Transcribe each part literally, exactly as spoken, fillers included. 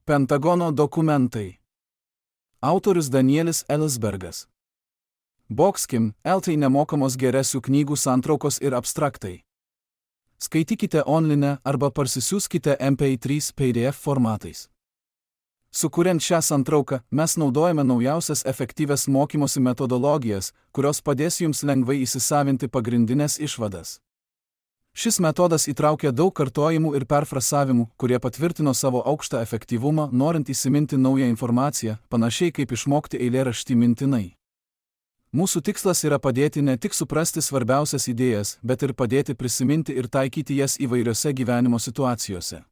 Pentagono dokumentai. Autorius Danielis Ellsbergas. Boxkim, eltai nemokamos geresių knygų santraukos ir abstraktai. Skaitykite online arba parsisiųskite M P trys P D F formatais. Sukuriant šią santrauką, mes naudojame naujausias efektyvias mokymosi metodologijas, kurios padės jums lengvai įsisavinti pagrindinės išvadas. Šis metodas įtraukia daug kartojimų ir perfrasavimų, kurie patvirtino savo aukštą efektyvumą, norint įsiminti naują informaciją, panašiai kaip išmokti eilėraštį mintinai. Mūsų tikslas yra padėti ne tik suprasti svarbiausias idėjas, bet ir padėti prisiminti ir taikyti jas įvairiose gyvenimo situacijose.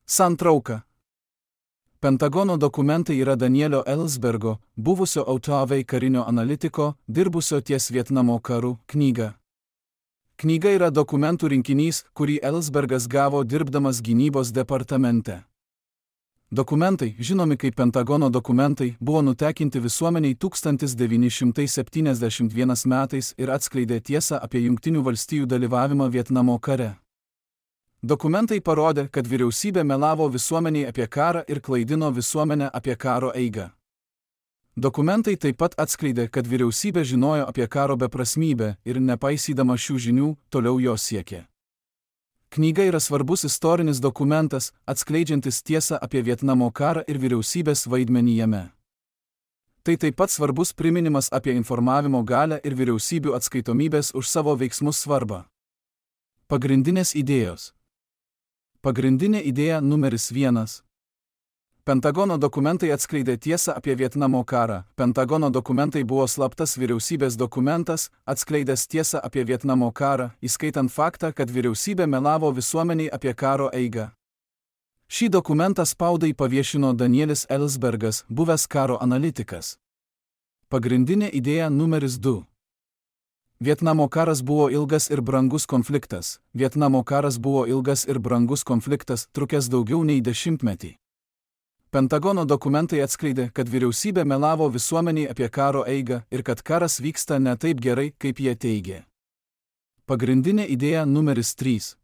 Santrauka. Pentagono dokumentai yra Danielio Ellsbergo, buvusio O T V karinio analitiko, dirbusio ties Vietnamo karu, knyga. Knyga yra dokumentų rinkinys, kurį Ellsbergas gavo dirbdamas gynybos departamente. Dokumentai, žinomi kaip Pentagono dokumentai, buvo nutekinti visuomeniai tūkstantis devyni šimtai septyniasdešimt pirmais metais ir atskleidė tiesą apie Jungtinių valstijų dalyvavimą Vietnamo kare. Dokumentai parodė, kad vyriausybė melavo visuomeniai apie karą ir klaidino visuomenę apie karo eigą. Dokumentai taip pat atskleidė, kad vyriausybė žinojo apie karo beprasmybę ir nepaisydama šių žinių, toliau jo siekė. Knyga yra svarbus istorinis dokumentas, atskleidžiantis tiesą apie Vietnamo karą ir vyriausybės vaidmenį jame. Tai taip pat svarbus priminimas apie informavimo galią ir vyriausybių atskaitomybės už savo veiksmus svarbą. Pagrindinės idėjos. Pagrindinė idėja numeris vienas. Pentagono dokumentai atskleidė tiesą apie Vietnamo karą. Pentagono dokumentai buvo slaptas vyriausybės dokumentas, atskleidęs tiesą apie Vietnamo karą, įskaitant faktą, kad vyriausybė melavo visuomeniai apie karo eigą. Šį dokumentą spaudai paviešino Danielis Ellsbergas, buvęs karo analitikas. Pagrindinė idėja numeris du. Vietnamo karas buvo ilgas ir brangus konfliktas. Vietnamo karas buvo ilgas ir brangus konfliktas, trukęs daugiau nei dešimtmetį. Pentagono dokumentai atskleidė, kad vyriausybė melavo visuomeniai apie karo eigą ir kad karas vyksta ne taip gerai, kaip jie teigė. Pagrindinė idėja numeris trys.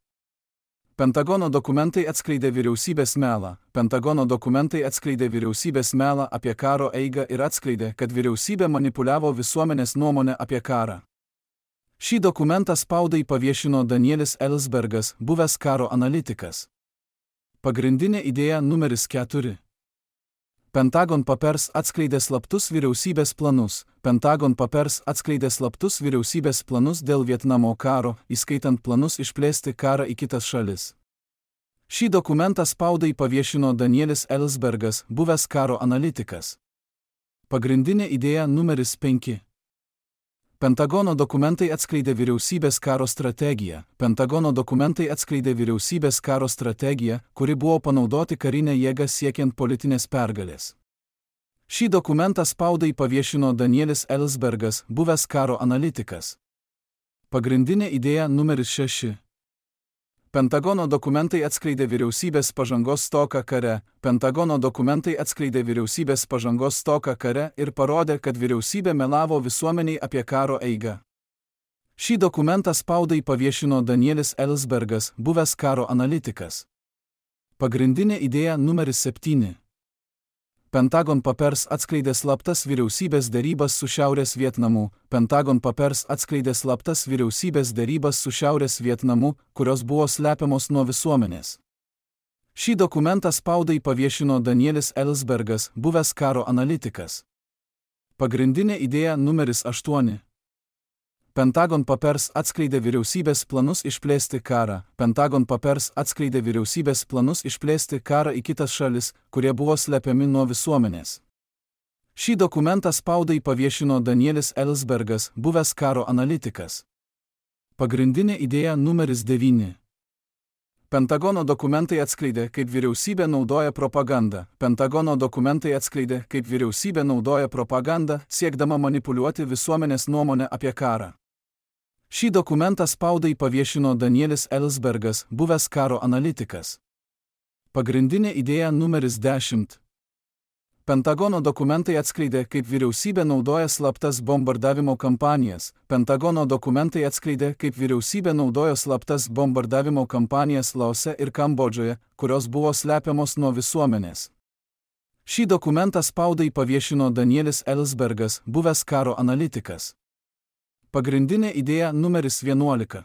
Pentagono dokumentai atskleidė vyriausybės melą. Pentagono dokumentai atskleidė vyriausybės melą apie karo eigą ir atskleidė, kad vyriausybė manipuliavo visuomenės nuomonę apie karą. Šį dokumentą spaudai paviešino Danielis Ellsbergas, buvęs karo analitikas. Pagrindinė idėja numeris keturi. Pentagon Papers atskleidė slaptus vyriausybės planus. Pentagon Papers atskleidė slaptus vyriausybės planus dėl Vietnamo karo, įskaitant planus išplėsti karą į kitas šalis. Šį dokumentą spaudai paviešino Danielis Ellsbergas, buvęs karo analitikas. Pagrindinė idėja numeris penki. Pentagono dokumentai atskleidė vyriausybės karo strategiją. Pentagono dokumentai atskleidė vyriausybės karo strategiją, kuri buvo panaudoti karinę jėgą siekiant politinės pergalės. Šį dokumentą spaudai paviešino Danielis Ellsbergas, buvęs karo analitikas. Pagrindinė idėja numeris šeši. Pentagono dokumentai atskleidė vyriausybės pažangos stoką kare. Pentagono dokumentai atskleidė vyriausybės pažangos stoką kare ir parodė, kad vyriausybė melavo visuomeniai apie karo eigą. Šį dokumentą spaudai paviešino Danielis Ellsbergas, buvęs karo analitikas. Pagrindinė idėja numeris septyni. Pentagon Papers atskleidė slaptas vyriausybės derybas su Šiaurės Vietnamu. Pentagon Papers atskleidė slaptas vyriausybės derybas su Šiaurės Vietnamu, kurios buvo slepiamos nuo visuomenės. Šį dokumentą spaudai paviešino Danielis Ellsbergas, buvęs karo analitikas. Pagrindinė idėja numeris aštuoni. Pentagon Papers atskleidė vyriausybės planus išplėsti karą. Pentagon Papers atskleidė vyriausybės planus išplėsti karą į kitas šalis, kurie buvo slepiami nuo visuomenės. Šį dokumentą spaudai paviešino Danielis Ellsbergas, buvęs karo analitikas. Pagrindinė idėja numeris devyni. Pentagono dokumentai atskleidė, kaip vyriausybė naudoja propagandą. Pentagono dokumentai atskleidė, kaip vyriausybė naudoja propagandą, siekdama manipuliuoti visuomenės nuomonę apie karą. Šį dokumentą spaudai paviešino Danielis Ellsbergas, buvęs karo analitikas. Pagrindinė idėja numeris dešimt. Pentagono dokumentai atskleidė, kaip vyriausybė naudoja slaptas bombardavimo kampanijas. Pentagono dokumentai atskleidė, kaip vyriausybė naudojo slaptas bombardavimo kampanijas Laose ir Kambodžoje, kurios buvo slepiamos nuo visuomenės. Šį dokumentą spaudai paviešino Danielis Ellsbergas, buvęs karo analitikas. Pagrindinė idėja numeris vienuolika.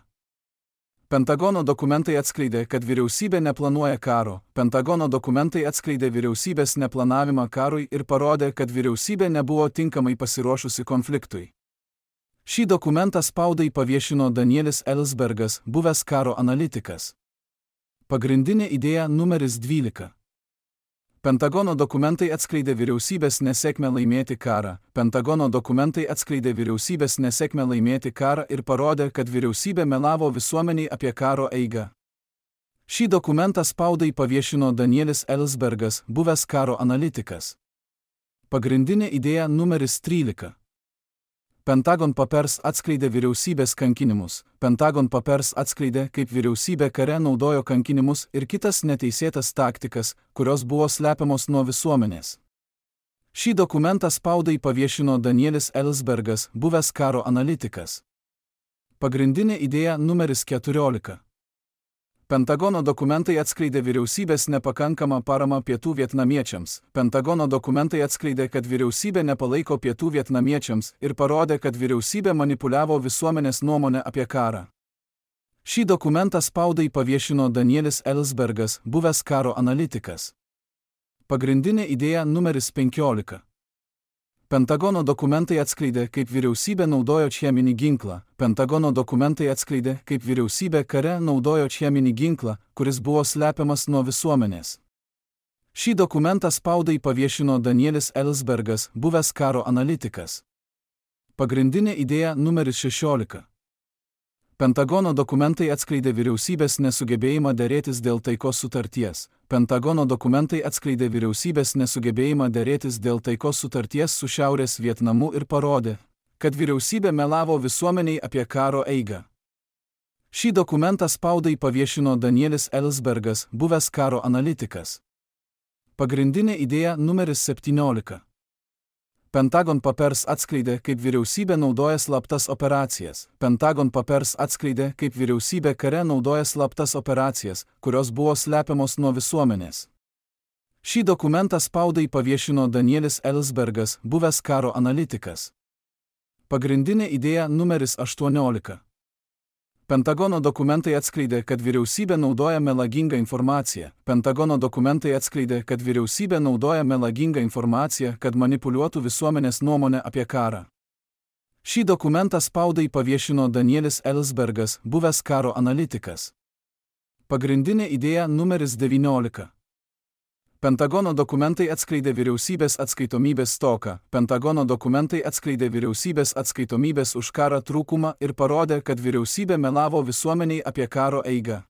Pentagono dokumentai atskleidė, kad vyriausybė neplanuoja karo. Pentagono dokumentai atskleidė vyriausybės neplanavimą karui ir parodė, kad vyriausybė nebuvo tinkamai pasiruošusi konfliktui. Šį dokumentą spaudai paviešino Danielis Ellsbergas, buvęs karo analitikas. Pagrindinė idėja numeris dvylika. Pentagono dokumentai atskleidė vyriausybės nesėkmę laimėti karą. Pentagono dokumentai atskleidė vyriausybės nesėkmę laimėti karą ir parodė, kad vyriausybė melavo visuomeniai apie karo eigą. Šį dokumentą spaudai paviešino Danielis Ellsbergas, buvęs karo analitikas. Pagrindinė idėja numeris trylika. Pentagon Papers atskleidė vyriausybės kankinimus. Pentagon Papers atskleidė, kaip vyriausybė kare naudojo kankinimus ir kitas neteisėtas taktikas, kurios buvo slepiamos nuo visuomenės. Šį dokumentą spaudai paviešino Danielis Ellsbergas, buvęs karo analitikas. Pagrindinė idėja numeris keturiolika. Pentagono dokumentai atskleidė vyriausybės nepakankamą paramą pietų vietnamiečiams. Pentagono dokumentai atskleidė, kad vyriausybė nepalaiko pietų vietnamiečiams ir parodė, kad vyriausybė manipuliavo visuomenės nuomonę apie karą. Šį dokumentą spaudai paviešino Danielis Ellsbergas, buvęs karo analitikas. Pagrindinė idėja numeris penkiolika. Pentagono dokumentai atskleidė, kaip vyriausybė naudojo cheminį ginklą. Pentagono dokumentai atskleidė, kaip vyriausybė kare naudojo cheminį ginklą, kuris buvo slepiamas nuo visuomenės. Šį dokumentą spaudai paviešino Danielis Ellsbergas, buvęs karo analitikas. Pagrindinė idėja numeris šešiolika. Pentagono dokumentai atskleidė vyriausybės nesugebėjimą derėtis dėl taikos sutarties. Pentagono dokumentai atskleidė vyriausybės nesugebėjimą derėtis dėl taikos sutarties su Šiaurės Vietnamu ir parodė, kad vyriausybė melavo visuomeniai apie karo eigą. Šį dokumentą spaudai paviešino Danielis Ellsbergas, buvęs karo analitikas. Pagrindinė idėja numeris septyniolika. Pentagon Papers atskleidė, kaip vyriausybė naudoja slaptas operacijas. Pentagon Papers atskleidė, kaip vyriausybė kare naudoja slaptas operacijas, kurios buvo slepiamos nuo visuomenės. Šį dokumentą spaudai paviešino Danielis Ellsbergas, buvęs karo analitikas. Pagrindinė idėja numeris aštuoniolika. Pentagono dokumentai atskleidė, kad vyriausybė naudoja melagingą informaciją. Pentagono dokumentai atskleidė, kad vyriausybė naudoja melagingą informaciją, kad manipuliuotų visuomenės nuomonę apie karą. Šį dokumentą spaudai paviešino Danielis Ellsbergas, buvęs karo analitikas. Pagrindinė idėja numeris devyniolika. Pentagono dokumentai atskleidė vyriausybės atskaitomybės stoką. Pentagono dokumentai atskleidė vyriausybės atskaitomybės už karą trūkumą ir parodė, kad vyriausybė melavo visuomeniai apie karo eigą.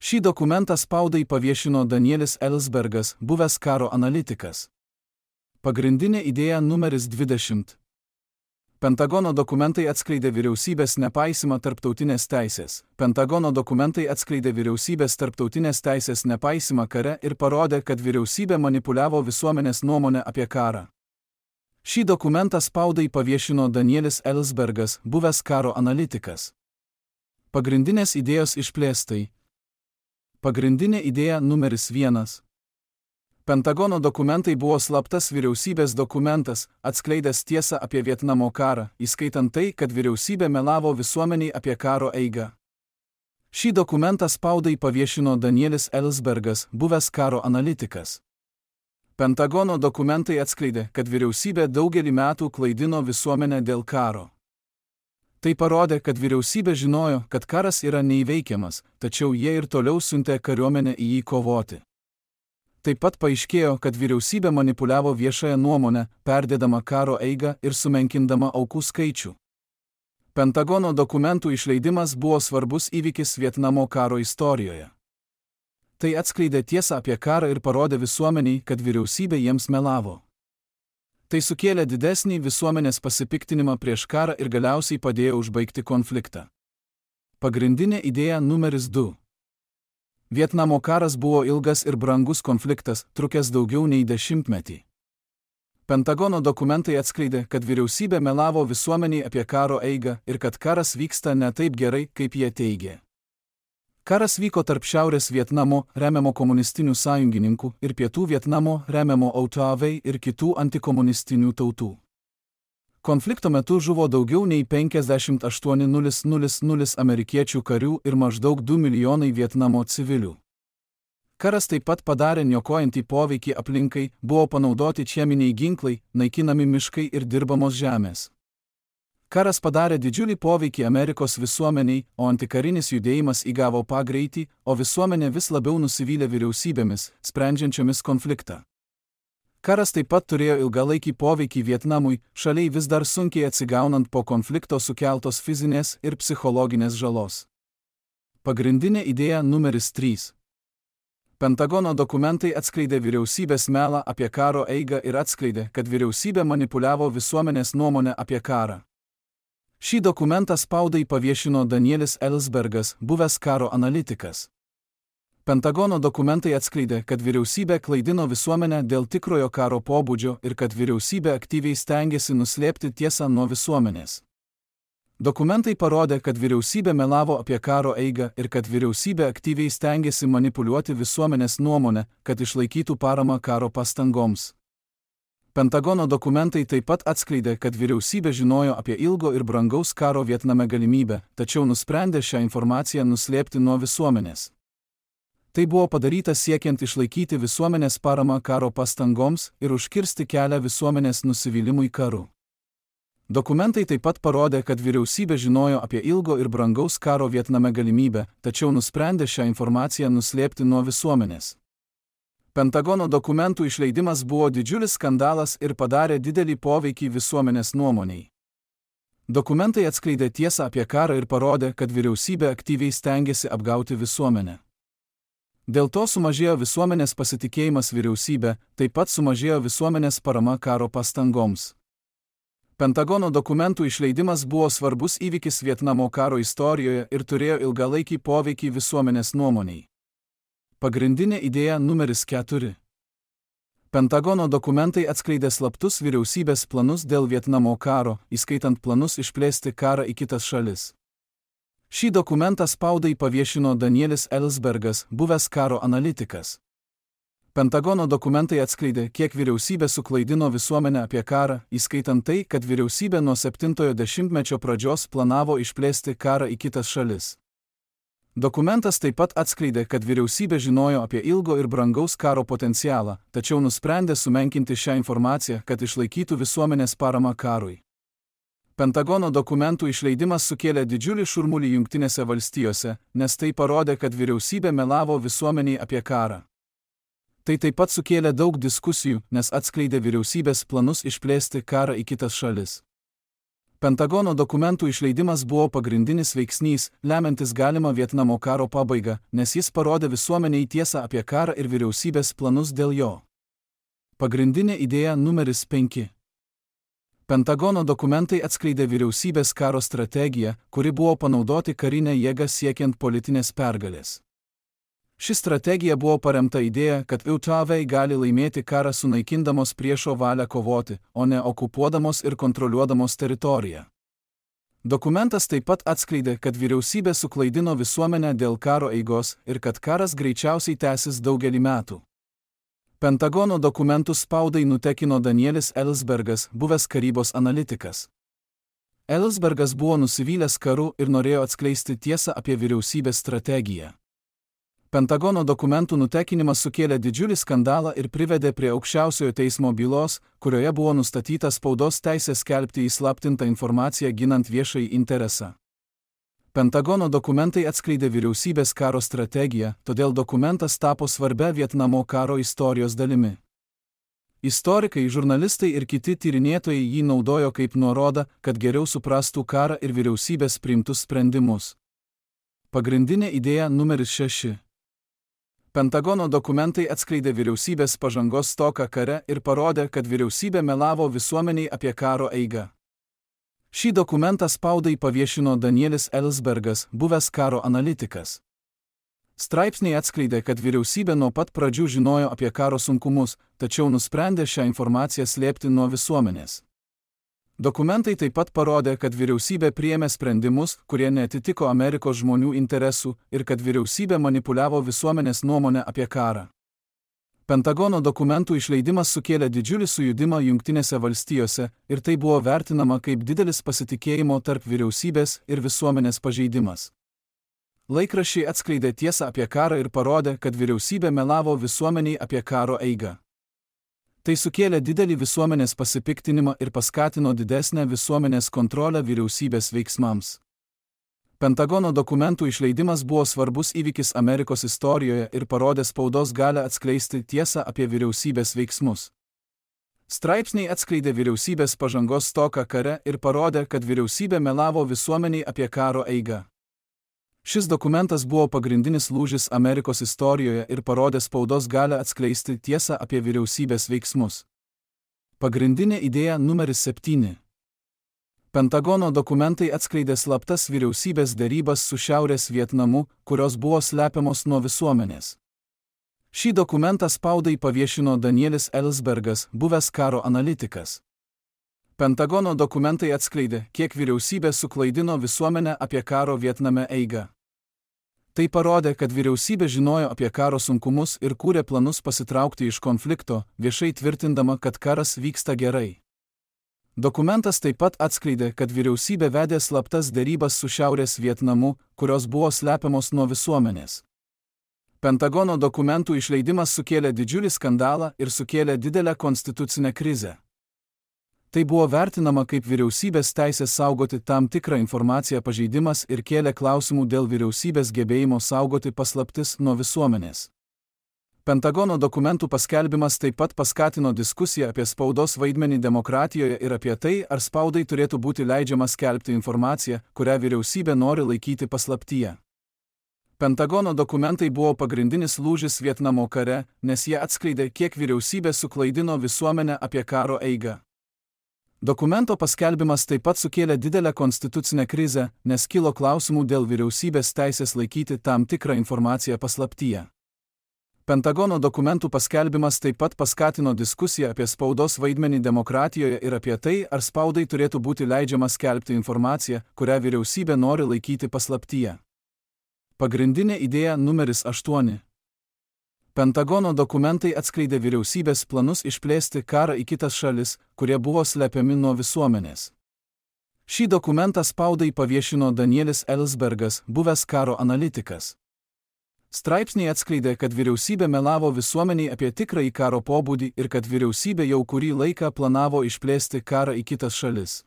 Šį dokumentą spaudai paviešino Danielis Ellsbergas, buvęs karo analitikas. Pagrindinė idėja numeris dvidešimt. Pentagono dokumentai atskleidė vyriausybės nepaisimą tarptautinės teisės. Pentagono dokumentai atskleidė vyriausybės tarptautinės teisės nepaisimą kare ir parodė, kad vyriausybė manipuliavo visuomenės nuomonę apie karą. Šį dokumentą spaudai paviešino Danielis Ellsbergas, buvęs karo analitikas. Pagrindinės idėjos išplėstai. Pagrindinė idėja numeris vienas. Pentagono dokumentai buvo slaptas vyriausybės dokumentas, atskleidęs tiesą apie Vietnamo karą, įskaitant tai, kad vyriausybė melavo visuomeniai apie karo eigą. Šį dokumentą spaudai paviešino Danielis Ellsbergas, buvęs karo analitikas. Pentagono dokumentai atskleidė, kad vyriausybė daugelį metų klaidino visuomenę dėl karo. Tai parodė, kad vyriausybė žinojo, kad karas yra neįveikiamas, tačiau jie ir toliau siuntė kariuomenę į jį kovoti. Taip pat paaiškėjo, kad vyriausybė manipuliavo viešąją nuomonę, perdėdama karo eigą ir sumenkindama aukų skaičių. Pentagono dokumentų išleidimas buvo svarbus įvykis Vietnamo karo istorijoje. Tai atskleidė tiesą apie karą ir parodė visuomeniai, kad vyriausybė jiems melavo. Tai sukėlė didesnį visuomenės pasipiktinimą prieš karą ir galiausiai padėjo užbaigti konfliktą. Pagrindinė idėja numeris du. Vietnamo karas buvo ilgas ir brangus konfliktas, trukęs daugiau nei dešimtmetį. Pentagono dokumentai atskleidė, kad vyriausybė melavo visuomeniai apie karo eigą ir kad karas vyksta ne taip gerai, kaip jie teigė. Karas vyko tarp Šiaurės Vietnamo, remiamo komunistinių sąjungininkų, ir Pietų Vietnamo, remiamo Autoavei ir kitų antikomunistinių tautų. Konflikto metu žuvo daugiau nei penkiasdešimt aštuoni tūkstančiai amerikiečių karių ir maždaug du milijonai Vietnamo civilių. Karas taip pat padarė niokojantį poveikį aplinkai, buvo panaudoti cheminiai ginklai, naikinami miškai ir dirbamos žemės. Karas padarė didžiulį poveikį Amerikos visuomeniai, o antikarinis judėjimas įgavo pagreitį, o visuomenė vis labiau nusivylė vyriausybėmis, sprendžiančiomis konfliktą. Karas taip pat turėjo ilgalaikį poveikį Vietnamui, šaliai vis dar sunkiai atsigaunant po konflikto sukeltos fizinės ir psichologinės žalos. Pagrindinė idėja numeris trys. Pentagono dokumentai atskleidė vyriausybės melą apie karo eigą ir atskleidė, kad vyriausybė manipuliavo visuomenės nuomonę apie karą. Šį dokumentą spaudai paviešino Danielis Ellsbergas, buvęs karo analitikas. Pentagono dokumentai atskleidė, kad vyriausybė klaidino visuomenę dėl tikrojo karo pobūdžio ir kad vyriausybė aktyviai stengiasi nuslėpti tiesą nuo visuomenės. Dokumentai parodė, kad vyriausybė melavo apie karo eigą ir kad vyriausybė aktyviai stengiasi manipuliuoti visuomenės nuomonę, kad išlaikytų paramą karo pastangoms. Pentagono dokumentai taip pat atskleidė, kad vyriausybė žinojo apie ilgo ir brangaus karo Vietname galimybę, tačiau nusprendė šią informaciją nuslėpti nuo visuomenės. Tai buvo padaryta siekiant išlaikyti visuomenės paramą karo pastangoms ir užkirsti kelią visuomenės nusivylimui karu. Dokumentai taip pat parodė, kad vyriausybė žinojo apie ilgo ir brangaus karo Vietname galimybę, tačiau nusprendė šią informaciją nuslėpti nuo visuomenės. Pentagono dokumentų išleidimas buvo didžiulis skandalas ir padarė didelį poveikį visuomenės nuomoniai. Dokumentai atskleidė tiesą apie karą ir parodė, kad vyriausybė aktyviai stengiasi apgauti visuomenę. Dėl to sumažėjo visuomenės pasitikėjimas vyriausybė, taip pat sumažėjo visuomenės parama karo pastangoms. Pentagono dokumentų išleidimas buvo svarbus įvykis Vietnamo karo istorijoje ir turėjo ilgalaikį poveikį visuomenės nuomoniai. Pagrindinė idėja numeris keturi. Pentagono dokumentai atskleidė slaptus vyriausybės planus dėl Vietnamo karo, įskaitant planus išplėsti karą į kitas šalis. Šį dokumentą spaudai paviešino Danielis Ellsbergas, buvęs karo analitikas. Pentagono dokumentai atskleidė, kiek vyriausybė suklaidino visuomenę apie karą, įskaitant tai, kad vyriausybė nuo septintojo dešimtmečio pradžios planavo išplėsti karą į kitas šalis. Dokumentas taip pat atskleidė, kad vyriausybė žinojo apie ilgo ir brangaus karo potencialą, tačiau nusprendė sumenkinti šią informaciją, kad išlaikytų visuomenės paramą karui. Pentagono dokumentų išleidimas sukėlė didžiulį šurmulį Jungtinėse valstijose, nes tai parodė, kad vyriausybė melavo visuomeniai apie karą. Tai taip pat sukėlė daug diskusijų, nes atskleidė vyriausybės planus išplėsti karą į kitas šalis. Pentagono dokumentų išleidimas buvo pagrindinis veiksnys, lemiantis galimą Vietnamo karo pabaigą, nes jis parodė visuomeniai tiesą apie karą ir vyriausybės planus dėl jo. Pagrindinė idėja numeris penki. Pentagono dokumentai atskleidė vyriausybės karo strategiją, kuri buvo panaudoti karinę jėgą siekiant politinės pergalės. Ši strategija buvo paremta idėja, kad Autoavei gali laimėti karą sunaikindamos priešo valią kovoti, o ne okupuodamos ir kontroliuodamos teritoriją. Dokumentas taip pat atskleidė, kad vyriausybė suklaidino visuomenę dėl karo eigos ir kad karas greičiausiai tęsis daugelį metų. Pentagono dokumentus spaudai nutekino Danielis Ellsbergas, buvęs karybos analitikas. Ellsbergas buvo nusivylęs karu ir norėjo atskleisti tiesą apie vyriausybės strategiją. Pentagono dokumentų nutekinimas sukėlė didžiulį skandalą ir privedė prie aukščiausiojo teismo bylos, kurioje buvo nustatyta spaudos teisė skelbti įslaptintą informaciją ginant viešąjį interesą. Pentagono dokumentai atskleidė vyriausybės karo strategiją, todėl dokumentas tapo svarbia Vietnamo karo istorijos dalimi. Istorikai, žurnalistai ir kiti tyrinėtojai jį naudojo kaip nuorodą, kad geriau suprastų karą ir vyriausybės priimtus sprendimus. Pagrindinė idėja numeris šeši. Pentagono dokumentai atskleidė vyriausybės pažangos stoką kare ir parodė, kad vyriausybė melavo visuomeniai apie karo eigą. Šį dokumentą spaudai paviešino Danielis Ellsbergas, buvęs karo analitikas. Straipsniai atskleidė, kad vyriausybė nuo pat pradžių žinojo apie karo sunkumus, tačiau nusprendė šią informaciją slėpti nuo visuomenės. Dokumentai taip pat parodė, kad vyriausybė priėmė sprendimus, kurie neatitiko Amerikos žmonių interesų ir kad vyriausybė manipuliavo visuomenės nuomonę apie karą. Pentagono dokumentų išleidimas sukėlė didžiulį sujudimą Jungtinėse valstijose ir tai buvo vertinama kaip didelis pasitikėjimo tarp vyriausybės ir visuomenės pažeidimas. Laikraščiai atskleidė tiesą apie karą ir parodė, kad vyriausybė melavo visuomeniai apie karo eigą. Tai sukėlė didelį visuomenės pasipiktinimą ir paskatino didesnę visuomenės kontrolę vyriausybės veiksmams. Pentagono dokumentų išleidimas buvo svarbus įvykis Amerikos istorijoje ir parodė spaudos galią atskleisti tiesą apie vyriausybės veiksmus. Straipsniai atskleidė vyriausybės pažangos stoką kare ir parodė, kad vyriausybė melavo visuomeniai apie karo eigą. Šis dokumentas buvo pagrindinis lūžis Amerikos istorijoje ir parodė spaudos galią atskleisti tiesą apie vyriausybės veiksmus. Pagrindinė idėja numeris septyni. Pentagono dokumentai atskleidė slaptas vyriausybės derybas su Šiaurės Vietnamu, kurios buvo slepiamos nuo visuomenės. Šį dokumentą spaudai paviešino Danielis Ellsbergas, buvęs karo analitikas. Pentagono dokumentai atskleidė, kiek vyriausybė suklaidino visuomenę apie karo Vietname eigą. Tai parodė, kad vyriausybė žinojo apie karo sunkumus ir kūrė planus pasitraukti iš konflikto, viešai tvirtindama, kad karas vyksta gerai. Dokumentas taip pat atskleidė, kad vyriausybė vedė slaptas derybas su Šiaurės Vietnamu, kurios buvo slepiamos nuo visuomenės. Pentagono dokumentų išleidimas sukėlė didžiulį skandalą ir sukėlė didelę konstitucinę krizę. Tai buvo vertinama kaip vyriausybės teisės saugoti tam tikrą informaciją pažeidimas ir kėlė klausimų dėl vyriausybės gebėjimo saugoti paslaptis nuo visuomenės. Pentagono dokumentų paskelbimas taip pat paskatino diskusiją apie spaudos vaidmenį demokratijoje ir apie tai, ar spaudai turėtų būti leidžiama skelbti informaciją, kurią vyriausybė nori laikyti paslaptyje. Pentagono dokumentai buvo pagrindinis lūžis Vietnamo kare, nes jie atskleidė, kiek vyriausybė suklaidino visuomenę apie karo eigą. Dokumento paskelbimas taip pat sukėlė didelę konstitucinę krizę, nes kilo klausimų dėl vyriausybės teisės laikyti tam tikrą informaciją paslaptyje. Pentagono dokumentų paskelbimas taip pat paskatino diskusiją apie spaudos vaidmenį demokratijoje ir apie tai, ar spaudai turėtų būti leidžiama skelbti informaciją, kurią vyriausybė nori laikyti paslaptyje. Pagrindinė idėja numeris aštuoni. Pentagono dokumentai atskleidė vyriausybės planus išplėsti karą į kitas šalis, kurie buvo slepiami nuo visuomenės. Šį dokumentą spaudai paviešino Danielis Ellsbergas, buvęs karo analitikas. Straipsniai atskleidė, kad vyriausybė melavo visuomeniai apie tikrąjį karo pobūdį ir kad vyriausybė jau kurį laiką planavo išplėsti karą į kitas šalis.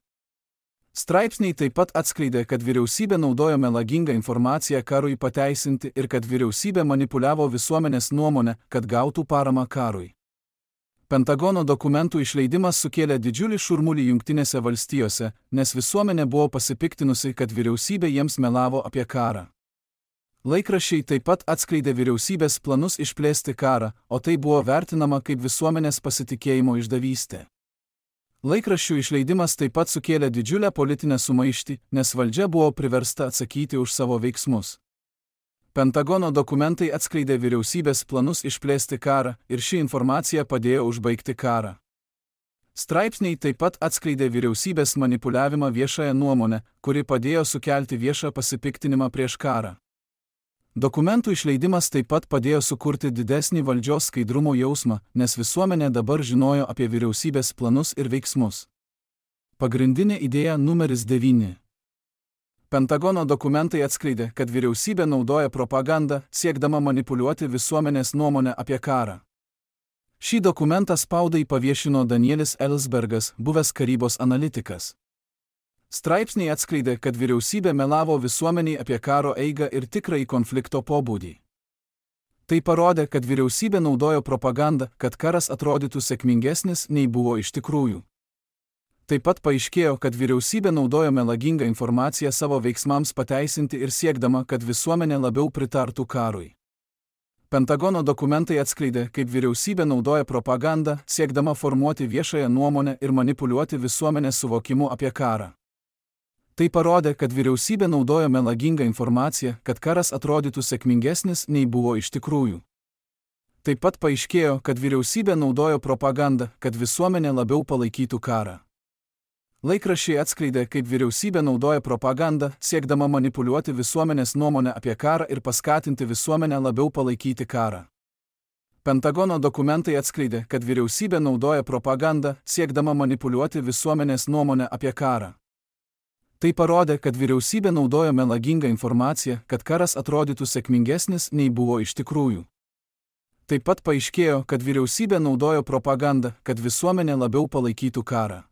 Straipsniai taip pat atskleidė, kad vyriausybė naudojo melagingą informaciją karui pateisinti ir kad vyriausybė manipuliavo visuomenės nuomonę, kad gautų paramą karui. Pentagono dokumentų išleidimas sukėlė didžiulį šurmulį Jungtinėse valstijose, nes visuomenė buvo pasipiktinusi, kad vyriausybė jiems melavo apie karą. Laikraščiai taip pat atskleidė vyriausybės planus išplėsti karą, o tai buvo vertinama kaip visuomenės pasitikėjimo išdavystė. Laikraščių išleidimas taip pat sukėlė didžiulę politinę sumaištį, nes valdžia buvo priversta atsakyti už savo veiksmus. Pentagono dokumentai atskleidė vyriausybės planus išplėsti karą ir ši informacija padėjo užbaigti karą. Straipsniai taip pat atskleidė vyriausybės manipuliavimą viešąją nuomonę, kuri padėjo sukelti viešą pasipiktinimą prieš karą. Dokumentų išleidimas taip pat padėjo sukurti didesnį valdžios skaidrumo jausmą, nes visuomenė dabar žinojo apie vyriausybės planus ir veiksmus. Pagrindinė idėja numeris devyni. Pentagono dokumentai atskleidė, kad vyriausybė naudoja propagandą, siekdama manipuliuoti visuomenės nuomonę apie karą. Šį dokumentą spaudai paviešino Danielis Ellsbergas, buvęs karybos analitikas. Straipsniai atskleidė, kad vyriausybė melavo visuomeniai apie karo eigą ir tikrąjį konflikto pobūdį. Tai parodė, kad vyriausybė naudojo propagandą, kad karas atrodytų sėkmingesnis, nei buvo iš tikrųjų. Taip pat paaiškėjo, kad vyriausybė naudojo melagingą informaciją savo veiksmams pateisinti ir siekdama, kad visuomenė labiau pritartų karui. Pentagono dokumentai atskleidė, kaip vyriausybė naudoja propagandą, siekdama formuoti viešąją nuomonę ir manipuliuoti visuomenės suvokimu apie karą. Tai parodė, kad vyriausybė naudojo melagingą informaciją, kad karas atrodytų sėkmingesnis nei buvo iš tikrųjų. Taip pat paaiškėjo, kad vyriausybė naudojo propagandą, kad visuomenė labiau palaikytų karą. Laikraščiai atskleidė, kaip vyriausybė naudoja propagandą, siekdama manipuliuoti visuomenės nuomonę apie karą ir paskatinti visuomenę labiau palaikyti karą. Pentagono dokumentai atskleidė, kad vyriausybė naudoja propagandą, siekdama manipuliuoti visuomenės nuomonę apie karą. Tai parodė, kad vyriausybė naudojo melagingą informaciją, kad karas atrodytų sėkmingesnis nei buvo iš tikrųjų. Taip pat paaiškėjo, kad vyriausybė naudojo propagandą, kad visuomenė labiau palaikytų karą.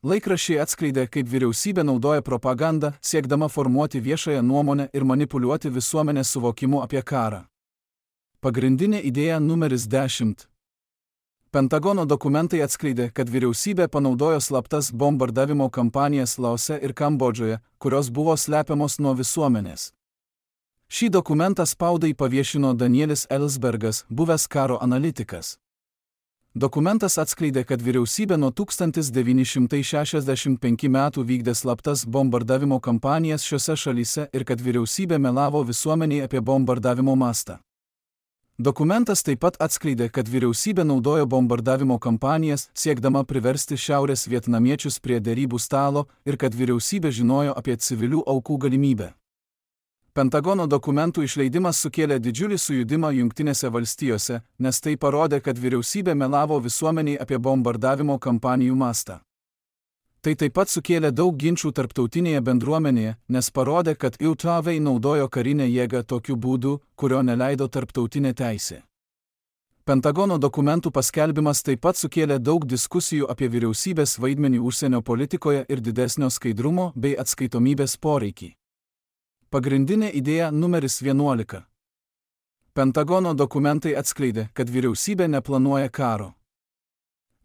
Laikraščiai atskleidė, kaip vyriausybė naudoja propagandą, siekdama formuoti viešąją nuomonę ir manipuliuoti visuomenės suvokimu apie karą. Pagrindinė idėja numeris dešimt. Pentagono dokumentai atskleidė, kad vyriausybė panaudojo slaptas bombardavimo kampanijas Laose ir Kambodžoje, kurios buvo slepiamos nuo visuomenės. Šį dokumentą spaudai paviešino Danielis Ellsbergas, buvęs karo analitikas. Dokumentas atskleidė, kad vyriausybė nuo tūkstantis devyni šimtai šešiasdešimt penkių metų vykdė slaptas bombardavimo kampanijas šiose šalyse ir kad vyriausybė melavo visuomeniai apie bombardavimo mastą. Dokumentas taip pat atskleidė, kad vyriausybė naudojo bombardavimo kampanijas, siekdama priversti šiaurės vietnamiečius prie derybų stalo ir kad vyriausybė žinojo apie civilių aukų galimybę. Pentagono dokumentų išleidimas sukėlė didžiulį sujudimą Jungtinėse valstijose, nes tai parodė, kad vyriausybė melavo visuomeniai apie bombardavimo kampanijų mastą. Tai taip pat sukėlė daug ginčų tarptautinėje bendruomenėje, nes parodė, kad U T V naudojo karinę jėgą tokiu būdu, kurio neleido tarptautinė teisė. Pentagono dokumentų paskelbimas taip pat sukėlė daug diskusijų apie vyriausybės vaidmenį užsienio politikoje ir didesnio skaidrumo bei atskaitomybės poreikį. Pagrindinė idėja numeris vienuolika. Pentagono dokumentai atskleidė, kad vyriausybė neplanuoja karo.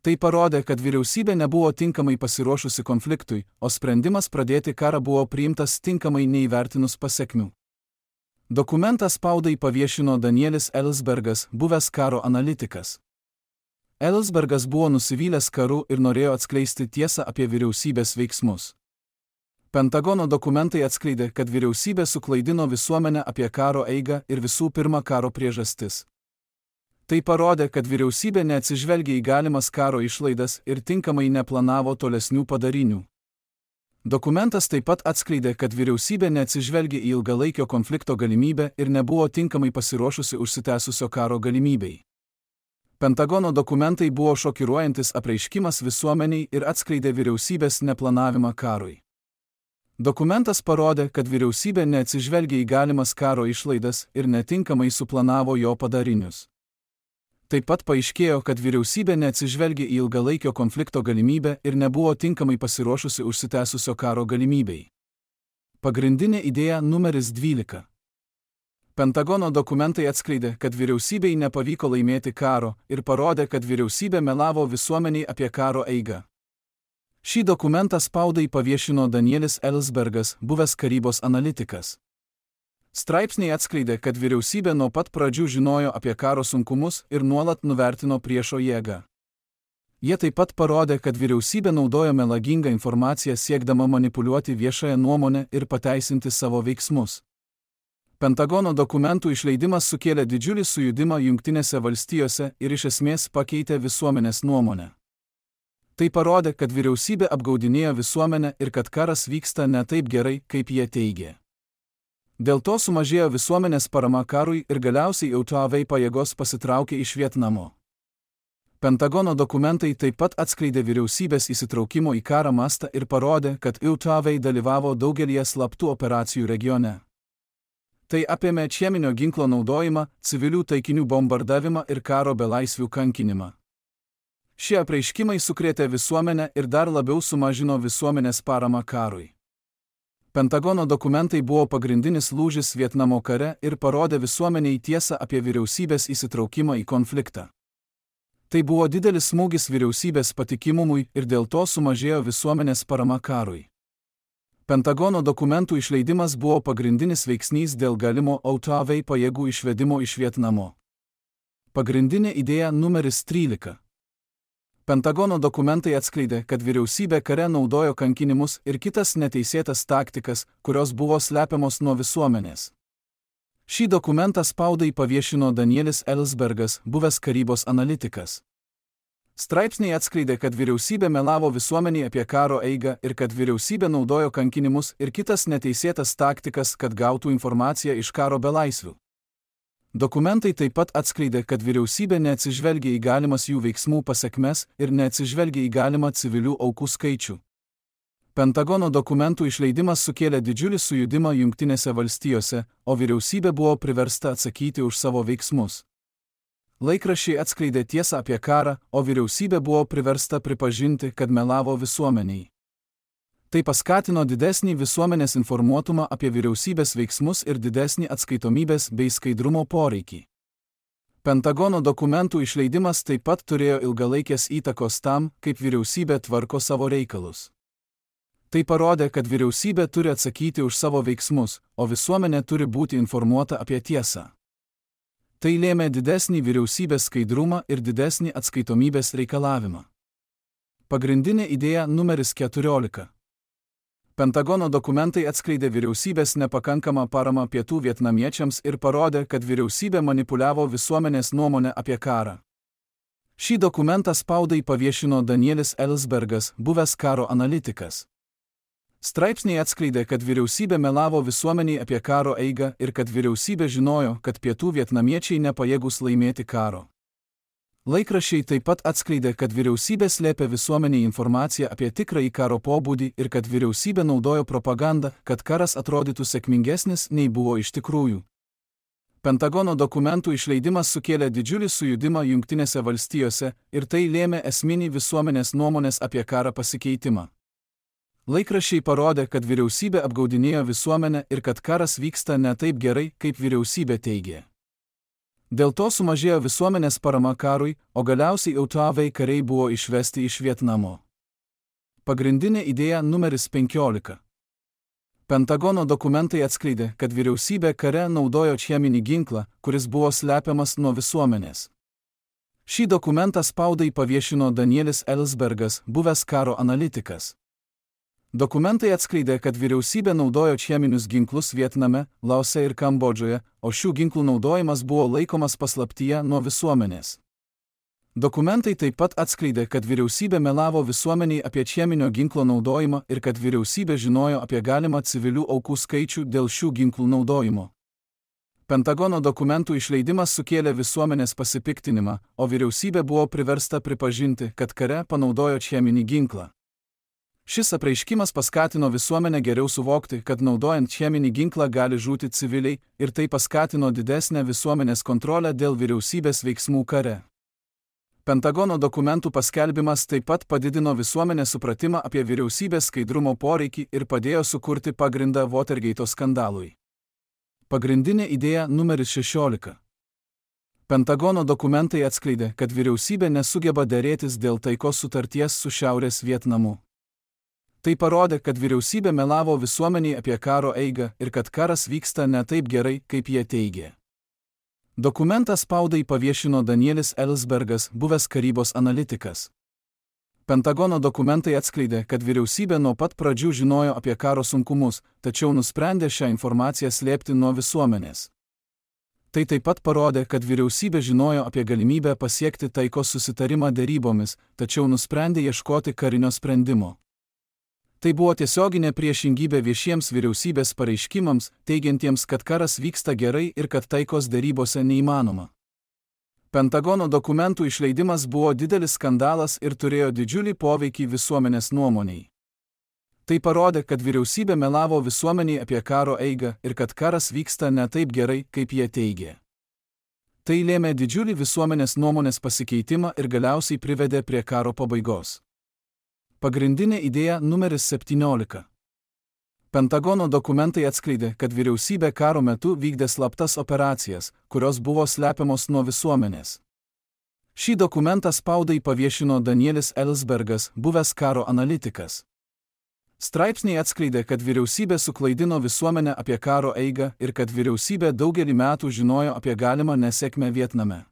Tai parodė, kad vyriausybė nebuvo tinkamai pasiruošusi konfliktui, o sprendimas pradėti karą buvo priimtas tinkamai neįvertinus pasekmių. Dokumentą spaudai paviešino Danielis Ellsbergas, buvęs karo analitikas. Ellsbergas buvo nusivylęs karu ir norėjo atskleisti tiesą apie vyriausybės veiksmus. Pentagono dokumentai atskleidė, kad vyriausybė suklaidino visuomenę apie karo eigą ir visų pirma karo priežastis. Tai parodė, kad vyriausybė neatsižvelgė į galimas karo išlaidas ir tinkamai neplanavo tolesnių padarinių. Dokumentas taip pat atskleidė, kad vyriausybė neatsižvelgė į ilgalaikio konflikto galimybę ir nebuvo tinkamai pasiruošusi užsitęsusio karo galimybei. Pentagono dokumentai buvo šokiruojantis apreiškimas visuomeniai ir atskleidė vyriausybės neplanavimą karui. Dokumentas parodė, kad vyriausybė neatsižvelgė į galimas karo išlaidas ir netinkamai suplanavo jo padarinius. Taip pat paaiškėjo, kad vyriausybė neatsižvelgė į ilgalaikio konflikto galimybę ir nebuvo tinkamai pasiruošusi užsitęsusio karo galimybei. Pagrindinė idėja numeris dvylika. Pentagono dokumentai atskleidė, kad vyriausybei nepavyko laimėti karo ir parodė, kad vyriausybė melavo visuomeniai apie karo eigą. Šį dokumentą spaudai paviešino Danielis Ellsbergas, buvęs karybos analitikas. Straipsniai atskleidė, kad vyriausybė nuo pat pradžių žinojo apie karo sunkumus ir nuolat nuvertino priešo jėgą. Jie taip pat parodė, kad vyriausybė naudojo melagingą informaciją siekdama manipuliuoti viešąją nuomonę ir pateisinti savo veiksmus. Pentagono dokumentų išleidimas sukėlė didžiulį sujudimą Jungtinėse valstijose ir iš esmės pakeitė visuomenės nuomonę. Tai parodė, kad vyriausybė apgaudinėjo visuomenę ir kad karas vyksta ne taip gerai, kaip jie teigė. Dėl to sumažėjo visuomenės parama karui ir galiausiai U T V pajėgos pasitraukė iš Vietnamo. Pentagono dokumentai taip pat atskleidė vyriausybės įsitraukimo į karą mastą ir parodė, kad U T V dalyvavo daugelyje slaptų operacijų regione. Tai apėmė cheminio ginklo naudojimą, civilių taikinių bombardavimą ir karo belaisvių kankinimą. Šie apreiškimai sukrėtė visuomenę ir dar labiau sumažino visuomenės paramą karui. Pentagono dokumentai buvo pagrindinis lūžis Vietnamo kare ir parodė visuomeniai tiesą apie vyriausybės įsitraukimą į konfliktą. Tai buvo didelis smūgis vyriausybės patikimumui ir dėl to sumažėjo visuomenės parama karui. Pentagono dokumentų išleidimas buvo pagrindinis veiksnys dėl galimo U T V pajėgų išvedimo iš Vietnamo. Pagrindinė idėja numeris trylika. Pentagono dokumentai atskleidė, kad vyriausybė kare naudojo kankinimus ir kitas neteisėtas taktikas, kurios buvo slepiamos nuo visuomenės. Šį dokumentą spaudai paviešino Danielis Ellsbergas, buvęs karybos analitikas. Straipsniai atskleidė, kad vyriausybė melavo visuomeniai apie karo eigą ir kad vyriausybė naudojo kankinimus ir kitas neteisėtas taktikas, kad gautų informaciją iš karo belaisvių. Dokumentai taip pat atskleidė, kad vyriausybė neatsižvelgia į galimas jų veiksmų pasekmes ir neatsižvelgia į galimą civilių aukų skaičių. Pentagono dokumentų išleidimas sukėlė didžiulį sujudimą Jungtinėse valstijose, o vyriausybė buvo priversta atsakyti už savo veiksmus. Laikraščiai atskleidė tiesą apie karą, o vyriausybė buvo priversta pripažinti, kad melavo visuomeniai. Tai paskatino didesnį visuomenės informuotumą apie vyriausybės veiksmus ir didesnį atskaitomybės bei skaidrumo poreikį. Pentagono dokumentų išleidimas taip pat turėjo ilgalaikės įtakos tam, kaip vyriausybė tvarko savo reikalus. Tai parodė, kad vyriausybė turi atsakyti už savo veiksmus, o visuomenė turi būti informuota apie tiesą. Tai lėmė didesnį vyriausybės skaidrumą ir didesnį atskaitomybės reikalavimą. Pagrindinė idėja numeris keturiolika. Pentagono dokumentai atskleidė vyriausybės nepakankamą paramą pietų vietnamiečiams ir parodė, kad vyriausybė manipuliavo visuomenės nuomonę apie karą. Šį dokumentą spaudai paviešino Danielis Ellsbergas, buvęs karo analitikas. Straipsniai atskleidė, kad vyriausybė melavo visuomeniai apie karo eigą ir kad vyriausybė žinojo, kad pietų vietnamiečiai nepajėgūs laimėti karo. Laikraščiai taip pat atskleidė, kad vyriausybė slėpė visuomeniai informaciją apie tikrąjį karo pobūdį ir kad vyriausybė naudojo propagandą, kad karas atrodytų sėkmingesnis nei buvo iš tikrųjų. Pentagono dokumentų išleidimas sukėlė didžiulį sujudimą Jungtinėse valstijose ir tai lėmė esminį visuomenės nuomonės apie karą pasikeitimą. Laikraščiai parodė, kad vyriausybė apgaudinėjo visuomenę ir kad karas vyksta ne taip gerai, kaip vyriausybė teigė. Dėl to sumažėjo visuomenės parama karui, o galiausiai autoavai kariai buvo išvesti iš Vietnamo. Pagrindinė idėja numeris penkiolika. Pentagono dokumentai atskleidė, kad vyriausybė kare naudojo cheminį ginklą, kuris buvo slepiamas nuo visuomenės. Šį dokumentą spaudai paviešino Danielis Ellsbergas, buvęs karo analitikas. Dokumentai atskleidė, kad vyriausybė naudojo cheminius ginklus Vietname, Laose ir Kambodžoje, o šių ginklų naudojimas buvo laikomas paslaptyje nuo visuomenės. Dokumentai taip pat atskleidė, kad vyriausybė melavo visuomeniai apie cheminio ginklo naudojimą ir kad vyriausybė žinojo apie galimą civilių aukų skaičių dėl šių ginklų naudojimo. Pentagono dokumentų išleidimas sukėlė visuomenės pasipiktinimą, o vyriausybė buvo priversta pripažinti, kad kare panaudojo cheminį ginklą. Šis apreiškimas paskatino visuomenę geriau suvokti, kad naudojant cheminį ginklą gali žūti civiliai ir tai paskatino didesnę visuomenės kontrolę dėl vyriausybės veiksmų kare. Pentagono dokumentų paskelbimas taip pat padidino visuomenės supratimą apie vyriausybės skaidrumo poreikį ir padėjo sukurti pagrindą Watergate skandalui. Pagrindinė idėja numeris šešiolika. Pentagono dokumentai atskleidė, kad vyriausybė nesugeba derėtis dėl taikos sutarties su Šiaurės Vietnamu. Tai parodė, kad vyriausybė melavo visuomeniai apie karo eigą ir kad karas vyksta ne taip gerai, kaip jie teigė. Dokumentą spaudai paviešino Danielis Ellsbergas, buvęs karybos analitikas. Pentagono dokumentai atskleidė, kad vyriausybė nuo pat pradžių žinojo apie karo sunkumus, tačiau nusprendė šią informaciją slėpti nuo visuomenės. Tai taip pat parodė, kad vyriausybė žinojo apie galimybę pasiekti taikos susitarimą derybomis, tačiau nusprendė ieškoti karinio sprendimo. Tai buvo tiesioginė priešingybė viešiems vyriausybės pareiškimams, teigiantiems, kad karas vyksta gerai ir kad taikos derybose neįmanoma. Pentagono dokumentų išleidimas buvo didelis skandalas ir turėjo didžiulį poveikį visuomenės nuomoniai. Tai parodė, kad vyriausybė melavo visuomeniai apie karo eigą ir kad karas vyksta ne taip gerai, kaip jie teigė. Tai lėmė didžiulį visuomenės nuomonės pasikeitimą ir galiausiai privedė prie karo pabaigos. Pagrindinė idėja numeris septyniolika. Pentagono dokumentai atskleidė, kad vyriausybė karo metu vykdė slaptas operacijas, kurios buvo slepiamos nuo visuomenės. Šį dokumentą spaudai paviešino Danielis Ellsbergas, buvęs karo analitikas. Straipsniai atskleidė, kad vyriausybė suklaidino visuomenę apie karo eigą ir kad vyriausybė daugelį metų žinojo apie galimą nesėkmę Vietname.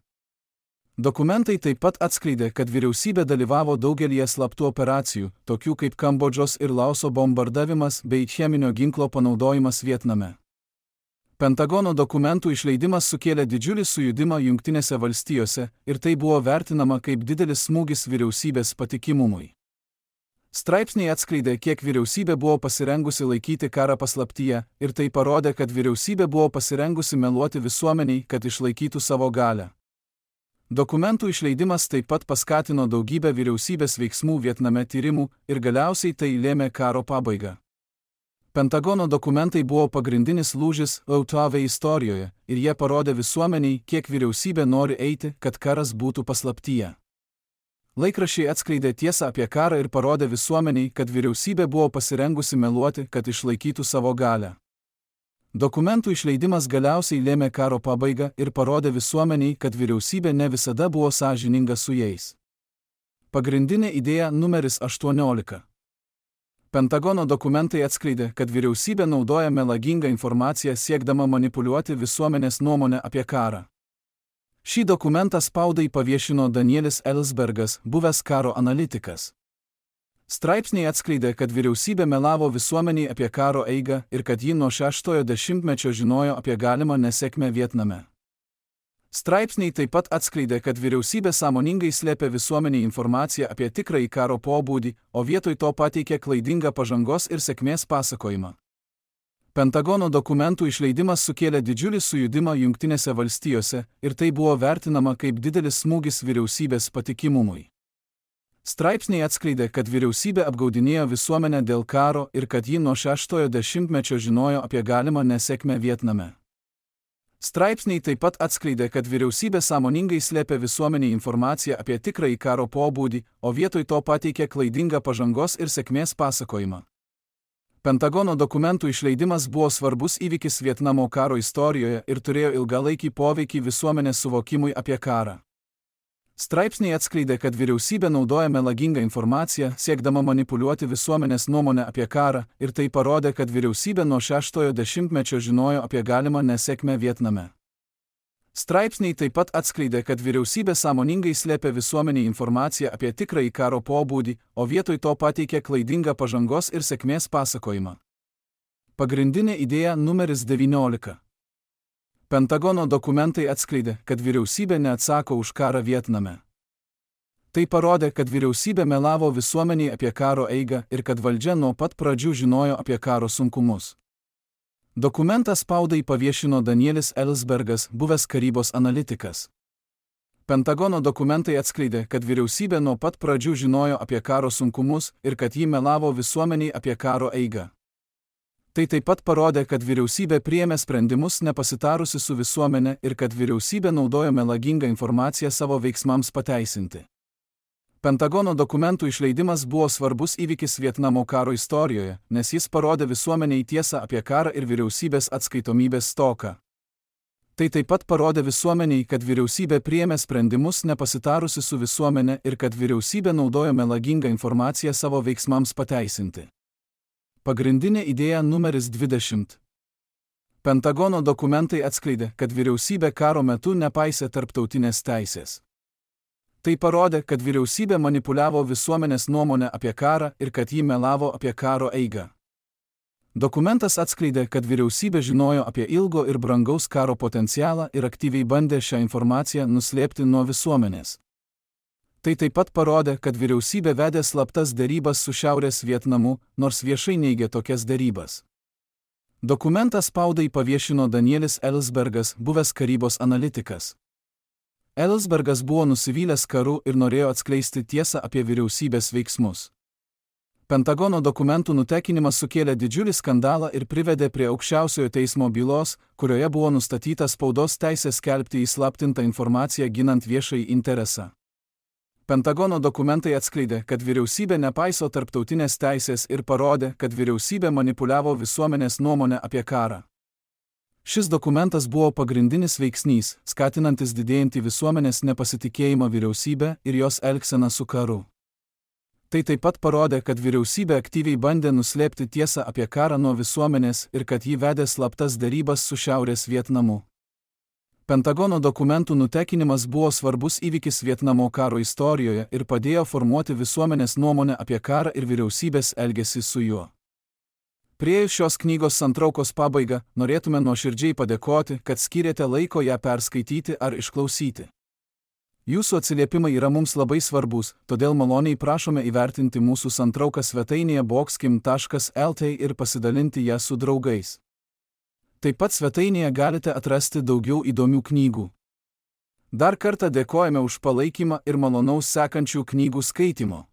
Dokumentai taip pat atskleidė, kad vyriausybė dalyvavo daugelyje slaptų operacijų, tokių kaip Kambodžos ir Laoso bombardavimas bei cheminio ginklo panaudojimas Vietname. Pentagono dokumentų išleidimas sukėlė didžiulį sujudimą Jungtinėse valstijose ir tai buvo vertinama kaip didelis smūgis vyriausybės patikimumui. Straipsniai atskleidė, kiek vyriausybė buvo pasirengusi laikyti karą paslaptyje ir tai parodė, kad vyriausybė buvo pasirengusi meluoti visuomeniai, kad išlaikytų savo galią. Dokumentų išleidimas taip pat paskatino daugybę vyriausybės veiksmų Vietname tyrimų ir galiausiai tai lėmė karo pabaigą. Pentagono dokumentai buvo pagrindinis lūžis O T V istorijoje ir jie parodė visuomeniai, kiek vyriausybė nori eiti, kad karas būtų paslaptyje. Laikraščiai atskleidė tiesą apie karą ir parodė visuomeniai, kad vyriausybė buvo pasirengusi meluoti, kad išlaikytų savo galią. Dokumentų išleidimas galiausiai lėmė karo pabaigą ir parodė visuomeniai, kad vyriausybė ne visada buvo sąžininga su jais. Pagrindinė idėja numeris aštuoniolika. Pentagono dokumentai atskleidė, kad vyriausybė naudoja melagingą informaciją siekdama manipuliuoti visuomenės nuomonę apie karą. Šį dokumentą spaudai paviešino Danielis Ellsbergas, buvęs karo analitikas. Straipsniai atskleidė, kad vyriausybė melavo visuomeniai apie karo eigą ir kad ji nuo šeštojo dešimtmečio žinojo apie galimą nesėkmę Vietname. Straipsniai taip pat atskleidė, kad vyriausybė sąmoningai slėpė visuomeniai informaciją apie tikrąjį karo pobūdį, o vietoj to pateikė klaidingą pažangos ir sėkmės pasakojimą. Pentagono dokumentų išleidimas sukėlė didžiulį sujudimą Jungtinėse valstijose ir tai buvo vertinama kaip didelis smūgis vyriausybės patikimumui. Straipsniai atskleidė, kad vyriausybė apgaudinėjo visuomenę dėl karo ir kad ji nuo šeštojo dešimtmečio žinojo apie galimą nesėkmę Vietname. Straipsniai taip pat atskleidė, kad vyriausybė sąmoningai slėpė visuomeniai informaciją apie tikrąjį karo pobūdį, o vietoj to pateikė klaidingą pažangos ir sėkmės pasakojimą. Pentagono dokumentų išleidimas buvo svarbus įvykis Vietnamo karo istorijoje ir turėjo ilgalaikį poveikį visuomenės suvokimui apie karą. Straipsniai atskleidė, kad vyriausybė naudoja melagingą informaciją, siekdama manipuliuoti visuomenės nuomonę apie karą, ir tai parodė, kad vyriausybė nuo šeštojo dešimtmečio žinojo apie galimą nesėkmę Vietname. Straipsniai taip pat atskleidė, kad vyriausybė sąmoningai slėpė visuomeniai informaciją apie tikrąjį karo pobūdį, o vietoj to pateikė klaidingą pažangos ir sėkmės pasakojimą. Pagrindinė idėja numeris devyniolika. Pentagono dokumentai atskleidė, kad vyriausybė neatsako už karą Vietname. Tai parodė, kad vyriausybė melavo visuomeniai apie karo eigą ir kad valdžia nuo pat pradžių žinojo apie karo sunkumus. Dokumentą spaudai paviešino Danielis Ellsbergas, buvęs karybos analitikas. Pentagono dokumentai atskleidė, kad vyriausybė nuo pat pradžių žinojo apie karo sunkumus ir kad ji melavo visuomeniai apie karo eigą. Tai taip pat parodė, kad vyriausybė priėmė sprendimus nepasitarusi su visuomenė ir kad vyriausybė naudojo melagingą informaciją savo veiksmams pateisinti. Pentagono dokumentų išleidimas buvo svarbus įvykis Vietnamo karo istorijoje, nes jis parodė visuomeniai tiesą apie karą ir vyriausybės atskaitomybės stoką. Tai taip pat parodė visuomeniai, kad vyriausybė priėmė sprendimus nepasitarusi su visuomenė ir kad vyriausybė naudojo melagingą informaciją savo veiksmams pateisinti. Pagrindinė idėja numeris dvidešimt. Pentagono dokumentai atskleidė, kad vyriausybė karo metu nepaisė tarptautinės teisės. Tai parodė, kad vyriausybė manipuliavo visuomenės nuomonę apie karą ir kad ji melavo apie karo eigą. Dokumentas atskleidė, kad vyriausybė žinojo apie ilgo ir brangaus karo potencialą ir aktyviai bandė šią informaciją nuslėpti nuo visuomenės. Tai taip pat parodė, kad vyriausybė vedė slaptas derybas su Šiaurės Vietnamu, nors viešai neigė tokias derybas. Dokumentą spaudai paviešino Danielis Ellsbergas, buvęs karybos analitikas. Ellsbergas buvo nusivylęs karu ir norėjo atskleisti tiesą apie vyriausybės veiksmus. Pentagono dokumentų nutekinimas sukėlė didžiulį skandalą ir privedė prie aukščiausiojo teismo bylos, kurioje buvo nustatyta spaudos teisė skelbti įslaptintą informaciją ginant viešąjį interesą. Pentagono dokumentai atskleidė, kad vyriausybė nepaiso tarptautinės teisės ir parodė, kad vyriausybė manipuliavo visuomenės nuomonę apie karą. Šis dokumentas buvo pagrindinis veiksnys, skatinantis didėjantį visuomenės nepasitikėjimą vyriausybę ir jos elgseną su karu. Tai taip pat parodė, kad vyriausybė aktyviai bandė nuslėpti tiesą apie karą nuo visuomenės ir kad ji vedė slaptas derybas su Šiaurės Vietnamu. Pentagono dokumentų nutekinimas buvo svarbus įvykis Vietnamo karo istorijoje ir padėjo formuoti visuomenės nuomonę apie karą ir vyriausybės elgesį su juo. Priėjus šios knygos santraukos pabaigą, norėtume nuoširdžiai padėkoti, kad skyrėte laiko ją perskaityti ar išklausyti. Jūsų atsiliepimai yra mums labai svarbus, todėl maloniai prašome įvertinti mūsų santrauką svetainėje boxkim taškas el t ir pasidalinti ją su draugais. Taip pat svetainėje galite atrasti daugiau įdomių knygų. Dar kartą dėkojame už palaikymą ir malonaus sekančių knygų skaitimo.